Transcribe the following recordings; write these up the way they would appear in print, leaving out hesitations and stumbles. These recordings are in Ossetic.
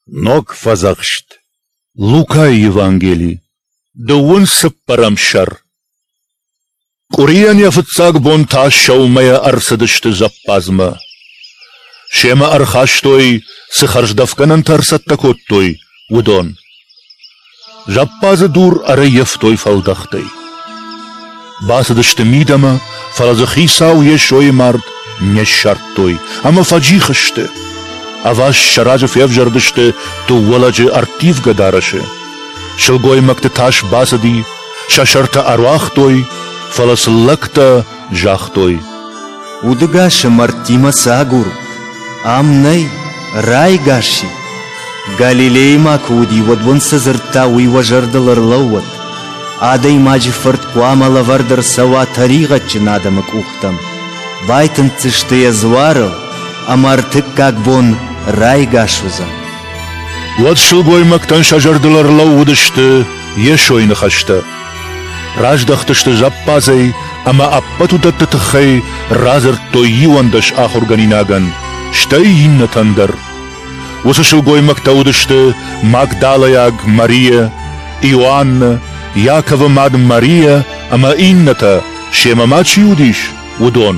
Ног фӕдзӕхст. Лукайы Евангели, дыууын цыппӕрӕм сӕр. Къуырийӕн йӕ фыццаг бон та сӕумӕйӕ ӕрцыдысты зӕппадзмӕ. Семӕ ӕрхастой, цы хӕрздӕфгӕнӕнтӕ ӕрцӕттӕ кодтой, уыдон. Зӕппадзы дур ӕрӕййӕфтой фӕлдӕхтӕй. Бацыдысты мидӕмӕ, фӕлӕ дзы хицау Йесойы мард не ссардтой ӕмӕ фӕджих сты. Ӕваст сӕ разы февзӕрдысты дыууӕ лӕджы ӕрттивгӕ дарӕсы. Сылгоймӕгты тас бацыди, сӕ сӕртӕ ӕруагътой, фӕлӕ сын лӕгтӕ загътой: Удыгасы мӕрдтимӕ цы агурут? Ам нӕй, райгас и. Галилейы ма куы уыди, уӕд уын цы дзырдта, уый уӕ зӕрдыл ӕрлӕууӕд. Адӕймаджы фырт хъуамӕ лӕвӕрд ӕрцӕуа тӕригъӕдджын адӕмы къухтӕм. Байтынддзысты йӕ дзуарыл, ӕмӕ ӕртыккаг бон райгас уыдзӕн. Уӕд сылгоймӕгтӕн сӕ зӕрдыл ӕрлӕууыдысты Йесойы ныхӕстӕ. Раздӕхтысты зӕппадзӕй ӕмӕ ӕппӕт уыдӕтты тыххӕй радзырдтой 11 ахуыргӕнинагӕн, стӕй иннӕтӕн дӕр. Уыцы сылгоймӕгтӕ уыдысты Магдалӕйаг Мария, Иоанны, Иаковы мад Мария ӕмӕ иннӕтӕ, семӕ ма чи уыдис, уыдон.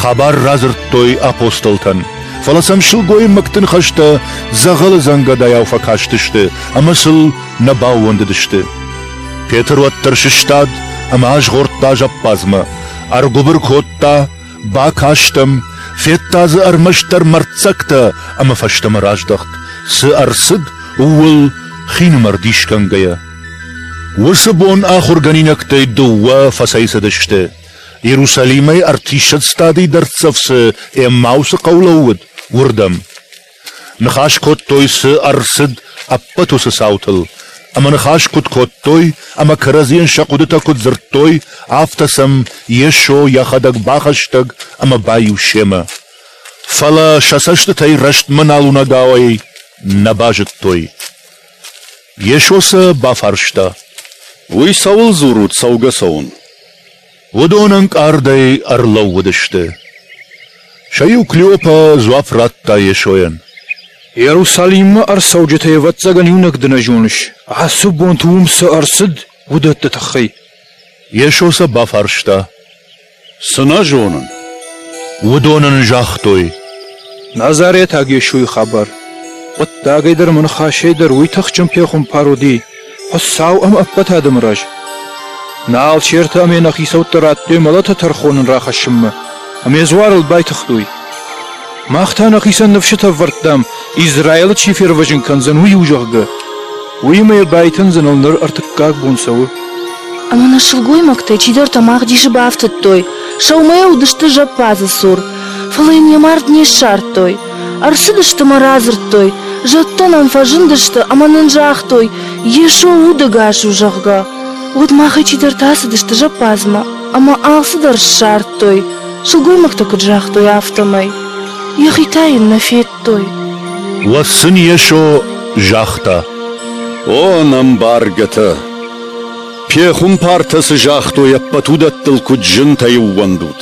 Хабар радзырдтой апостолтӕн, фӕлӕ сӕм сылгоймӕгты ныхӕстӕ дзӕгъӕлы дзӕнгӕдайау фӕкастысты ӕмӕ сыл нӕ баууӕндыдысты. Петр уӕддӕр сыстад ӕмӕ азгъордта зӕппадзмӕ, ӕргуыбыр кодта, бакаст ӕм, федта дзы ӕрмӕстдӕр мӕрддзӕгтӕ ӕмӕ фӕстӕмӕ раздӕхт, цы ӕрцыд, ууыл хинымӕр дисгӕнгӕйӕ. Уыцы бон ахуыргӕнинӕгтӕй дыууӕ фӕцӕйцыдысты. Иерусалимӕй ӕртиссӕдз стадийы дӕрддзӕф цы Эммаусы хъӕу лӕууыд, уырдӕм. Ныхас кодтой, цы ӕрцыд, ӕппӕт уыцы цаутыл, ӕмӕ ныхас куыд кодтой ӕмӕ кӕрӕдзийӕн сӕ хъуыдытӕ куыд дзырдтой, афтӕ сӕм Йесо йӕхӕдӕг бахӕстӕг ӕмӕ баиу семӕ. Фӕлӕ сӕ цӕстытӕй рӕстмӕ нал уынӕгауӕй нӕ базыдтой. Йесо сӕ бафарста: Уый цӕуыл дзурут цӕугӕ-цӕуын? Уыдон ӕнкъардӕй ӕрлӕууыдысты. Сӕ иу Клеопа дзуапп радта Йесойӕн: Иерусалиммӕ ӕрцӕуджытӕй ӕвӕццӕгӕн иунӕг ды нӕ зоныс, ацы бонты уым цы ӕрцыд, уыдӕтты тыххӕй. Йесо сӕ бафарста: Цы нӕ зонын? Уыдон ын загътой: Назаретаг Йесойы хабар. Хъуыддагӕй дӕр ӕмӕ ныхасӕй дӕр уый тыхджын пехуымпар уыди, Хуыцау ӕм ӕппӕт адӕмы раз. Нӕ алчертӕ ӕмӕ нӕ хицӕуттӕ радтой мӕлӕты тӕрхон ын рахӕссынмӕ, ӕмӕ йӕ дзуарыл байтыгътой. Мах та нӕхицӕн ныфсытӕ ӕвӕрдтам, Израилы чи фервӕзын кӕндзӕн, уый у, зӕгъгӕ. Уыимӕ йӕ байтындзыныл ныр ӕртыккаг бон цӕуы. Ӕмӕ нӕ сылгоймӕгтӕй чидӕртӕ мах дисы бафтыдтой. Сӕумӕйӕ уыдысты зӕппадзы цур, фӕлӕ йын йӕ мард не ссардтой. Ӕрцыдысты мӕ радзырдтой, зӕдтӕ нӕм фӕзындысты ӕмӕ нын загътой, Йесо удӕгас у, зӕгъгӕ. Уӕд махӕй чидӕртӕ ацыдысты зӕппадзмӕ ӕмӕ алцыдӕр ссардтой, сылгоймӕгтӕ куыд загътой, афтӕмӕй. Йӕхи та йын нӕ федтой. Уӕд сын Йесо загъта: О, ӕнӕмбаргӕтӕ! Пехуымпартӕ цы загътой, ӕппӕт уыдӕттыл куыд зынтӕй ӕууӕндут!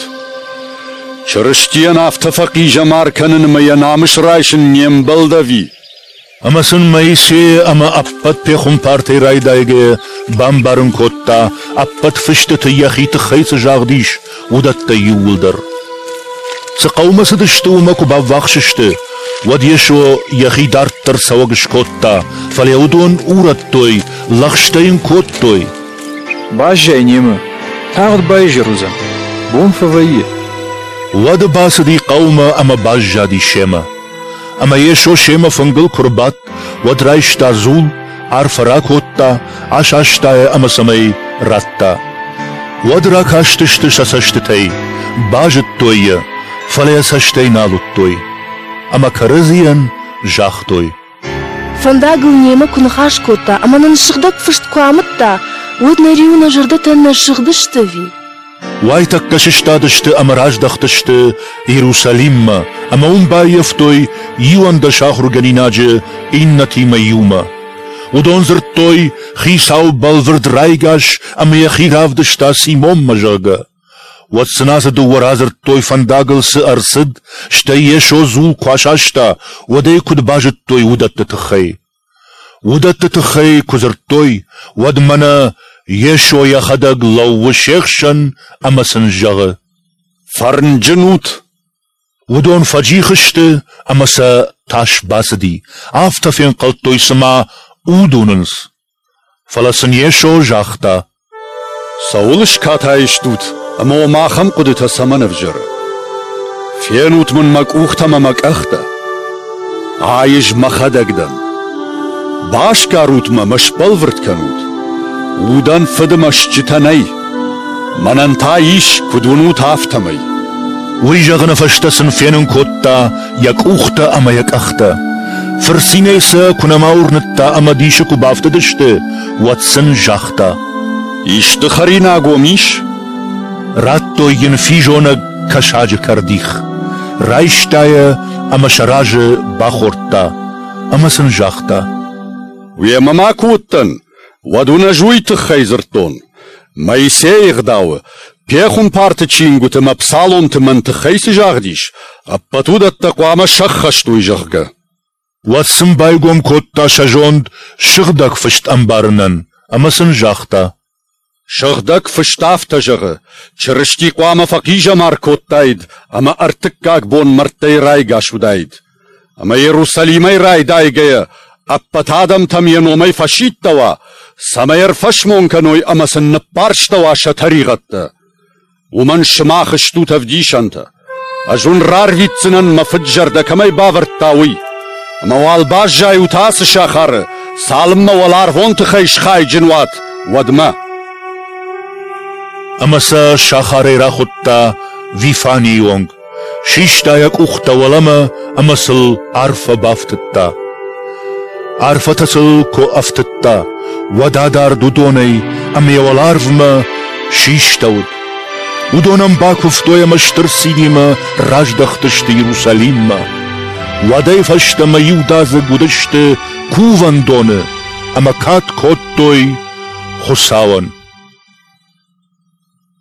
Чырыстийӕн афтӕ фӕхъизӕмар кӕнын ӕмӕ йӕ намыс райсын не мбӕлд ӕви? Ӕмӕ сын Моисейы ӕмӕ ӕппӕт пехуымпартӕй райдайгӕйӕ бамбарын кодта, ӕппӕт фыстыты йӕхи тыххӕй цы загъд ис, уыдӕттӕ иууылдӕр. Цы хъӕумӕ цыдысты, уымӕ куы баввахс сты, уӕд Йесо йӕхи дарддӕр цӕуӕг скодта, фӕлӕ уыдон урӕдтой, лӕгъстӕ йын кодтой. Баззай немӕ, тагъд баизӕр уыдзӕн, бон фӕвӕййы. Уӕд бацыди хъӕумӕ ӕмӕ баззади семӕ. Ӕмӕ Йесо семӕ фынгыл куы рбадт, уӕд райста дзул, арфӕ ракодта, асаста йӕ ӕмӕ цӕмӕй радта. Уӕд ракастысты сӕ цӕстытӕй, базыдтой йӕ, фӕлӕ йӕ цӕстӕй нал уыдтой. Ӕмӕ кӕрӕдзийӕн загътой: Фӕндагыл немӕ куы ныхас кодта ӕмӕ нын сыгъдӕг фыст куы амыдта, уӕд нӕ риуы нӕ зӕрдӕтӕ нӕ сыгъдысты ӕви? Уайтӕккӕ сыстадысты ӕмӕ раздӕхтысты Иерусалиммӕ ӕмӕ уым баййӕфтой 11 ахуыргӕнинаджы иннӕтимӕ иумӕ. Уыдон дзырдтой, Хицау бӕлвырд райгас ӕмӕ йӕхи равдыста Симонмӕ, зӕгъгӕ. Уӕд сын ацы дыууӕ радзырдтой, фӕндагыл цы ӕрцыд, стӕй Йесо дзул куы асаста, уӕд ӕй куыд базыдтой, уыдӕтты тыххӕй. Уыдӕтты тыххӕй куы дзырдтой, уӕд мӕнӕ Йесо йӕхӕдӕг лӕууы се хсӕн ӕмӕ сын зӕгъы: Фӕрнджын ут! Уыдон фӕджих сты ӕмӕ сӕ тас бацыди, афтӕ фенхъӕлдтой, цыма уд уынынц. Фӕлӕ сын Йесо загъта: Цӕуыл скатай стут ӕмӕ уӕм ахӕм хъуыдытӕ цӕмӕн ӕвзӕры? Фенут мын мӕ къухтӕ ӕмӕ мӕ къӕхтӕ. Ай ӕз мӕхӕдӕг дӕн. Басгарут мӕ мӕ сбӕлвырд кӕнут. Удӕн фыды мӕстджытӕ нӕй. Мӕнӕн та ис, куыд уынут, афтӕмӕй. Уый зӕгъыны фӕстӕ сын фенын кодта йӕ къухтӕ ӕмӕ йӕ къӕхтӕ. Фырцинӕй сӕ куы нӕма уырныдта ӕмӕ дисы куы бафтыдысты, уӕд сын загъта: Исты хӕринаг уӕм ис? Радтой йын физонӕг кӕсаджы кӕрдих. Райста йӕ ӕмӕ сӕ разы бахордта ӕмӕ сын загъта: Уемӕ ма куы уыдтӕн, уӕд уын ӕз уый тыххӕй дзырдтон. Моисейы ӕгъдауы, пехуымпарты чингуыты мӕ псаломты мӕн тыххӕй цы загъд ис, ӕппӕт уыдӕттӕ хъуамӕ сӕххӕст уой, зӕгъгӕ. Уӕд сын байгом кодта сӕ зонд сыгъдӕг фыст ӕмбарынӕн ӕмӕ сын загъта: Сыгъдӕг фыст афтӕ зӕгъы, Чырысти хъуамӕ фӕхъизӕмар кодтаид ӕмӕ ӕртыккаг бон мӕрдтӕй райгас уыдаид. Ӕмӕ Иерусалимӕй райдайгӕйӕ ӕппӕт адӕмтӕм йӕ номӕй фӕсидтӕуа, цӕмӕй ӕрфӕсмон кӕной ӕмӕ сын ныппӕрстӕуа сӕ тӕригъӕдтӕ. Уымӕн сымах стут ӕвдисӕнтӕ. Ӕз уын рарвитдзынӕн, мӕ фыд зӕрдӕ кӕмӕй бавӕрдта, уый. Ӕмӕ уал баззайут ацы сахары, цалынмӕ уӕларвон тыхӕй схайджын уат, уӕдмӕ. Ӕмӕ сӕ сахарӕй рахуыдта Вифанийы онг, систа йӕ къухтӕ уӕлӕмӕ ӕмӕ сыл арфӕ бафтыдта. Арфӕтӕ сыл куы ӕфтыдта, уӕд адард уыдонӕй ӕмӕ йӕ уӕларвмӕ систӕуыд. Уыдон ӕм бакуывтой ӕмӕ стыр цинимӕ раздӕхтысты Иерусалиммӕ. Уӕдӕй фӕстӕмӕ иудадзыг уыдысты кувӕндоны ӕмӕ кад кодтой Хуыцауӕн.